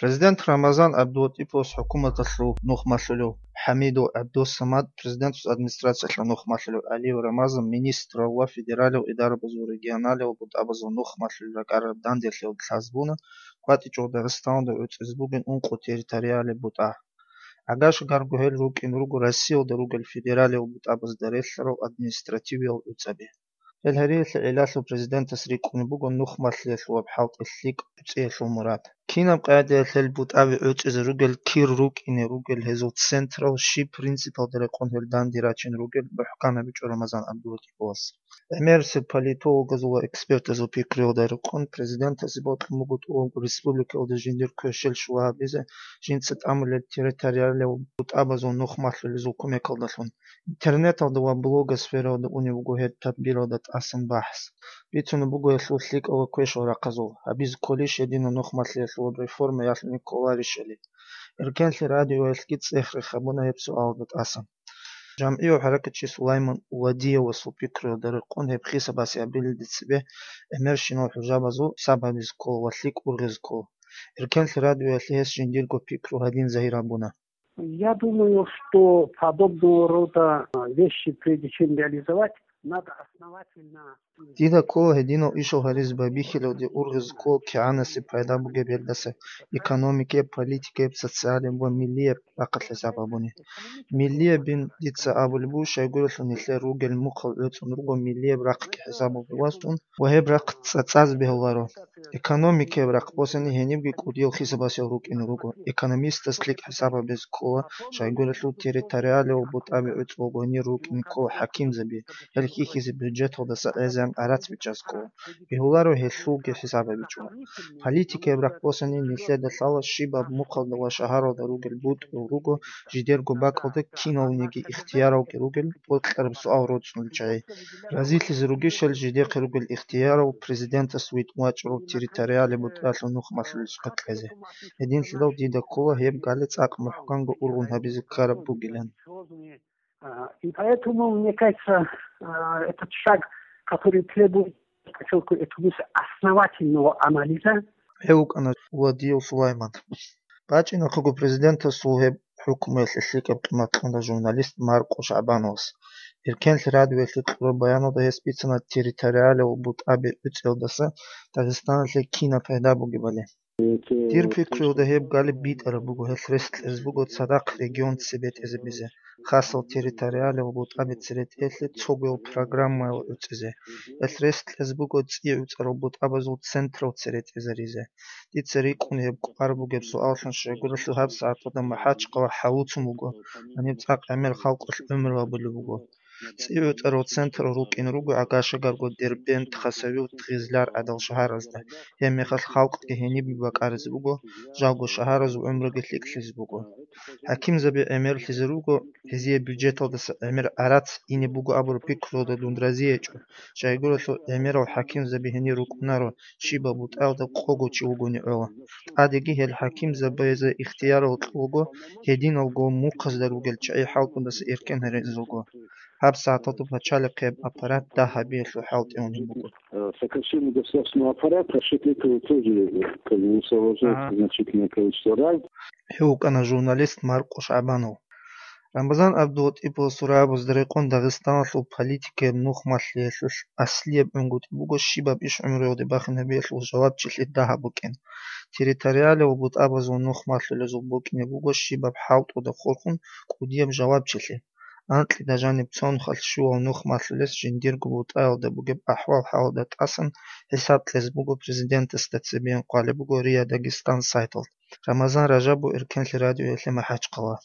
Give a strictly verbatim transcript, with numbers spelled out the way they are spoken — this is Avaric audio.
Президент Рамазан ГӀабдулатӀиповас хӀукуматалъул нухмалъулев, ХӀамидов ГӀабдусамад президентас администрациялъул нухмалъулев, ГӀалиев Рамазан министрал ва федералияб идарабазул, регионалияб бутӀабазул нухмалъулел ракӀараб данделъиялда лъазабуна, КъватӀичӀого Дагъистаналда гӀуцӀизе бугин ункъо территориалияб бутӀа. Агашагарго гьел рукӀине руго Россиялда ругел федералияб бутӀабазда релълъарал административиял гӀуцӀаби. Гьел гьариялъе гӀиллалъул президентас рикӀкӀунеб буго нухмалъиялъул ва хӀалтӀи лъикӀ гӀуцӀиялъул мурад. Кинаб къагӀидаялъ гьел бутӀаби гӀуцӀизе ругел, кир рукӀине ругел, гьезул централ щиб принципалда рекъон гьел данде рачине ругел мухӀкан гьабичӀо Рамазан ГӀабдулатӀиповас. ГӀемерисел политологазул ва экспертазул пикруялда рекъон президентасе бокьун буго тӀубанго республикаялда жиндир квешел щула гьабизе жинца тӀамулел территориалияб бутӀабазул нухмалъулезул кумекалдалъун. Интернеталда ва блогосфералда унеб буго гьеб тадбиралда тӀасан бахӀс. Бицунеб буго гьелъул лъикӀал ва квешал рахъазул, гьабизе кколищ гьединал нухмалъиялъул реформа ялъуни кколарищали. Эркенлъи радиоялъги цӀех-рех гьабуна гьеб суалда тӀасан. ЖамгӀияв хӀаракатчи Сулайман Уладиевасул пикруялда рекъон гьеб хисабасе абилелде цебе гӀемерщинал хӀужабазул хӀисаб гьабизе ккола ва лъикӀ ургъизе ккола. Эркенлъи радиоялъе гьес жиндирго пикру гьадин загьир гьабуна. Я думаю, что подобного рода, а, вещи, прежде чем реализовать, надо основательно изучить. Дида ккола гьединал ишал гьаризе байбихьилалде ургъизе ккола кигӀанасеб пайда бугеб гьелдаса, экономикияб, политикияб, социалияб ва миллияб рахъалъ хӀисаб гьабуни. Миллиябин дица абулеб буго, щайгурелъул нилъер ругел мухъал гӀуцӀун руго миллияб рахъги хӀисабалде васун ва гьеб рахъ цӀацӀазе бегьуларо. Экономикаяб рахъ босани гьенибги кӀудиял хисабасел рукӀине руго. Экономистас лъикӀ хӀисаб гьабизе ккола, щайгурелъул территориалияб бутӀаби гӀуцӀулгони рукӀине ккола хӀакимзаби, гьел хьихьизе бюджеталдаса гӀезегӀан гӀарац бичӀчӀазе ккола. Бегьуларо гьелъулги хӀисаб гьабичӀо. Политикаяб рахъ босани нилъеда лъала щибаб мухъалда ва шагьаралда ругел бутӀрул руго, жидерго бакӀалда киналниги ихтияралги ругел, бокьараб суал роцӀцӀулел чагӀи. Разилъизе ругищал жидехъе ругел ихтиярал президентас витӀун вачӀарав территориалияб бутӀалъул нухмалъулесухъе кьезе. Гьединлъидал дида ккола гьеб гали цӀакъ мухӀканго ургъун гьабизе ккараб бугилан. А, и поэтому, мне кажется, а, этот шаг, который требует, подчеркиваю, этого основательного анализа. Гьев вукӀана Уладиев Сулайман. БачӀинахъего президентасул гьеб хӀукмуялъе лъикӀаб къимат кьуна журналист Маркъо ШагӀбановас. Эркенлъи радиоялъе кьураб баяналда гьес бицана территориалияб бутӀаби гӀуцӀиялдаса Дагъистаналъе кинаб пайда бугебали. Дир пикруялда гьеб гали битӀараб буго, гьелъ рес кьезе буго цадахъ регион цебетӀезабизе, хасал территориалияб бутӀаби церетӀеялъе цогоял программаял гӀуцӀизе. Гьелъ рес кьезе буго цӀи гӀуцӀарал бутӀабазул централ церетӀезаризе. Дица рикӀкӀун гьеб кӀвар бугеб суаллъун щайгурелъул гьабсагӀаталда МахӀачхъала хӀалуцун буго, гьаниб цӀакъ гӀемер халкъалъ гӀумру гьабулеб буго. ЦӀи гӀуцӀарал централ рукӀин руго Агашагарго, Дербент, Хасавюрт, Гъизлар гӀадал шагьаразда. Гьеб мехалъ халкъги гьенибе бакӀаризе буго, жалго шагьаразул гӀумруги лъикӀлъизе буго. ХӀакимзаби гӀемерлъизе руго, гьезие бюджеталдаса гӀемер гӀарац ине буго абураб пикруялда дун разиячӀо, щайгурелъул гӀемерал хӀакимзаби гьенир рукӀунаро, щибаб бутӀаялда къого чи вугони гӀола. ТӀадеги гьел хӀакимзабазе ихтиярал кьолго, гьединалго мухъазда ругел чагӀи хӀалтӀудаса эркен гьаризелго. ГьабсагӀаталда пачалихъияб аппарат дагь гьабиялъул хӀалтӀи унеб буго. Э, сокращение государственного аппарата, счет этого тоже, как бы, высвобождается значительное количество раз. Гьев вукӀана журналист Маркъо ШагӀбанов. Рамазан ГӀабдулатӀиповасул рагӀабазда рекъон Дагъистаналъул политикаяб нухмалъиялъулъ аслияб гӀунгутӀи буго щибаб иш гӀумруялде бахинабиялъул жавабчилъи дагь букӀин. Территориалияб бутӀабазул нухмалъулезул букӀине буго щибаб хӀалтӀуда хурхун кӀудияб жавабчилъи. Анкьида жаниб цонхалъ щуял нухмалъулес жиндирго бутӀаялда бугеб ахӀвал-хӀалда тӀасан хӀисаб кьезе буго президентасда цебеян къвалеб буго РИА Дагестан сайталда. Рамазан Ражабов, Эркенлъи радиоялъе МахӀачхъала.